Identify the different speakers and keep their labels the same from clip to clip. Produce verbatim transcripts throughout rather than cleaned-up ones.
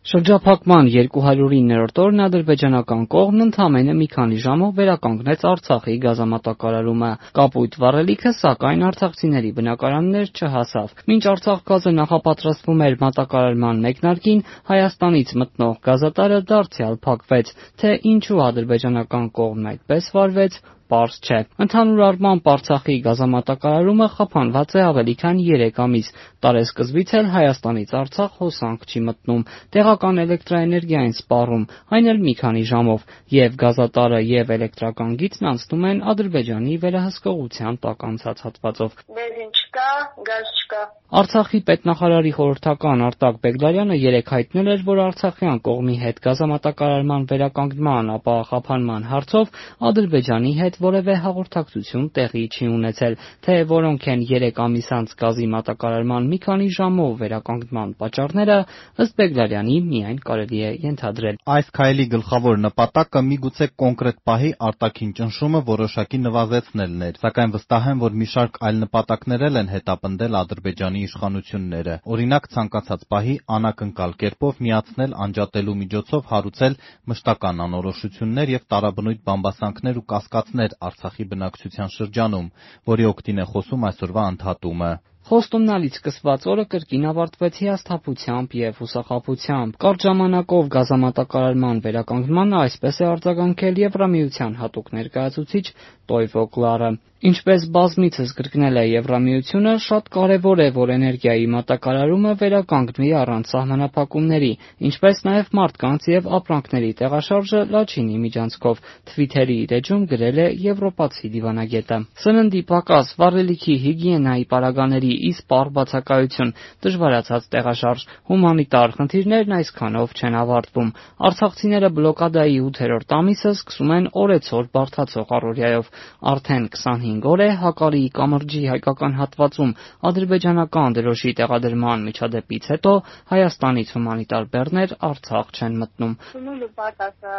Speaker 1: Շրջափակման երկու հարյուր իններորդ օրն ադրբեջանական կողմն ընդամենը մի քանի ժամով վերականգնեց Արցախի գազամատակարարումը։ Կապույտ վառելիքը, սակայն արցախցիների բնակարաններ չհասավ։ Մինչ Արցախ գազը նախապատրաստվում էր մատակարարման մեկնարկին, Հայաստանից մտնող գազատարը դարձյալ փակվեց։ Թե ինչու ադրբեջանական կողմն այդպես վարվեց, պարզ չէ։ Ընդհանուր առմամբ Արցախի գազամատակարարումը խափանված է ավելի քան երեք ամիս։ Տարեսկզբից էլ Հայաստանից Արցախ հոսանք չի մտնում, տեղական էլեկտրաէներգիա են սպառում, այն էլ մի քանի ժամով, եւ գազատարը եւ էլեկտրական գիծն անցնում են Ադրբեջանի վերահսկողության տակ անցած հատվածով։
Speaker 2: Բենզին չկա, գազ չկա։
Speaker 1: Արցախի պետնախարարի խորհրդական Արտակ Բեգլարյանը երեկ հայտնել էր, որ արցախյան կողմի հետ գազամատակարարման վերականգնման, ապա խափանման հարցով Ադրբեջանի հետ որևէ հաղորդակցություն տեղի չի ունեցել, թե որոնք են երեք ամիս անց գազի մատակարարման մի քանի ժամով վերականգնման պատճառները, ըստ Բեգլարյանի միայն կարելի է ենթադրել։
Speaker 3: Այս քայլի գլխավոր նպատակը միգուցե կոնկրետ պահի արտաքին ճնշումը որոշակի նվազեցնելն էր, սակայն վստահ եմ, որ մի շարք այլ նպատակներ էլ են հետապնդել Ադրբեջանի իշխանությունները, օրինակ ցանկացած պահի անակնկալ կերպով միացնել անջատելու միջոցով հարուցել մշտական անորոշություններ եւ տարաբնույթ բամբասանքներ ու կասկածներ Արցախի բնակչության շրջանում, որի օգտին է խոսում այսօրվա ընդհատումը։
Speaker 1: Խոստումնալից սկսված օրը կրկին ավարտվեց հիասթափությամբ եւ հուսախաբությամբ։ Կարճ ժամանակով գազամատակարարման վերականգնմանը այսպես է արձագանքել Եվրամիության հատուկ ներկայացուցիչ Տոյվո Կլարը։ Ինչպես բազմիցս կրկնել է Եվրամիությունը, շատ կարևոր է, որ էներգիայի մատակարարումը վերականգնվի առանց սահմանափակումների, ինչպես նաև մարդկանց եւ ապրանքների տեղաշարժը Լաչինի միջանցքով, Թվիթերի իր էջում գրել է եվրոպացի դիվանագետը։ Սննդի պակաս, վառելիքի հիգիենայի պարագաների իսպառ բացակայություն, դժվարացած տեղաշարժ, հումանիտար խնդիրներն այսքանով չեն ավարտվում։ Արցախցիները բլոկադայի ութերորդ ամիսը սկսում են օրեցօր բարդացող առօրյայով։ Արդեն քսանհինգ օր է Հակարիի կամրջի հայկական հատվածում ադրբեջանական դրոշի տեղադրման միջադեպից հետո Հայաստանից հումանիտար բեռներ Արցախ չեն մտնում։
Speaker 2: Սնունդը պակասը,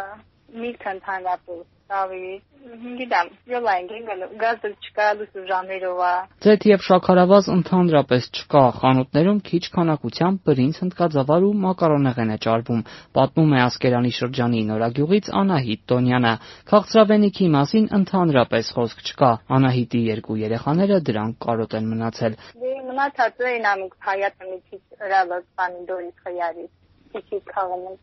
Speaker 2: միրգը ընդհանրապես, ցավի, գիտեմ, յոլային գինգել, գազը չկա, լույսը ժամերով է։
Speaker 1: Ձեթ եւ շաքարավազ ընդհանրապես չկա, խանութներում քիչ քանակությամբ բրինձ, հնդկաձավար ու մակարոնեղեն է ճարվում, պատմում է Ասկերանի շրջանի Նորագյուղից Անահիտ Տոնյանը։ Քաղցրավենիքի մասին ընդհանրապես խոսք չկա։ Անահիտի երկու երեխաները դրանք կարոտ են մնացել։
Speaker 2: Դե մնացածը ինամիկ հայատը մի քիչ հրալը պանիդորից խյարի, քիչ քաղում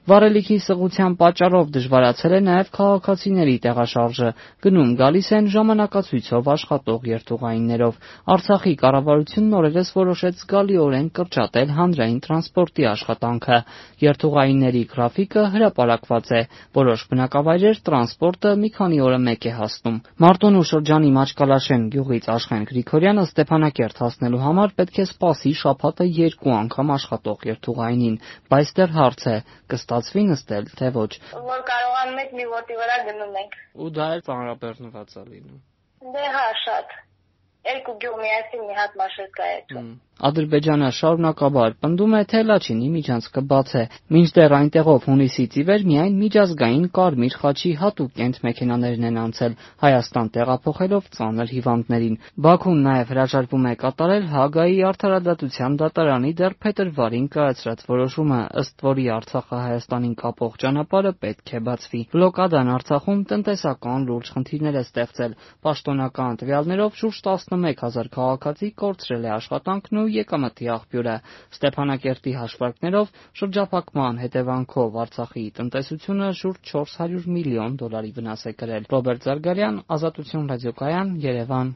Speaker 1: Վառելիքի սղության պատճառով դժվարացել է նաև քաղաքացիների տեղաշարժը, գնում գալիս են ժամանակացույցով աշխատող երթուղայիններով։ Արցախի կառավարությունն օրերս որոշեց զգալիորեն կրճատել հանրային տրանսպորտի աշխատանքը։ Երթուղայինների գրաֆիկը հրապարակված է, որոշ բնակավայրեր տրանսպորտը մի քանի օրը մեկ է հասնում։ Մարտունու շրջանի Մաչկալաշեն գյուղից Աշխեն Գրիգորյանը Ստեփանակերտ հասնելու համար պետք է սպասի շաբաթը երկու անգամ աշխատող երթուղայինին, բայց հարց է, կստացվի նստել, թե ոչ։
Speaker 2: Որ կարողանում եք մի ոտի վրա գնում ենք։
Speaker 1: Ու դա էլ ծանրաբեռնված է լինում։
Speaker 2: Դե հա, շատ։ Երկու գյուղ միասին մի հատ մաշրկա է։
Speaker 1: Ադրբեջանը շարունակաբար պնդում է, թե Լաչինի միջանցքը բաց է, մինչդեռ այնտեղով հունիսից ի վեր միայն միջազգային Կարմիր խաչի հատուկ կենտմեքենաներն են անցել, Հայաստան տեղափոխելով ծանր հիվանդներին։ Բաքուն նաև հրաժարվում է կատարել Հաագայի արդարադատության դատարանի դեռ փետրվարին կայացրած որոշումը, ըստ որի Արցախը Հայաստանին կապող ճանապարհը պետք է բացվի։ Բլոկադան Արցախում տնտեսական լուրջ խնդիրներ է ստեղծել։ Պաշտոնական տվյալներով շուրջ տասնմեկ հազար քաղաքացի կորցրել է աշխատանքն ու եկամտի աղբյուրը։ Ստեփանակերտի հաշվարկներով շրջափակման հետևանքով Արցախի տնտեսությունը շուրջ չորս հարյուր միլիոն դոլարի վնաս է կրել։ Ռոբերտ Զարգարյան, Ազատություն ռադիոկայան, Երևան։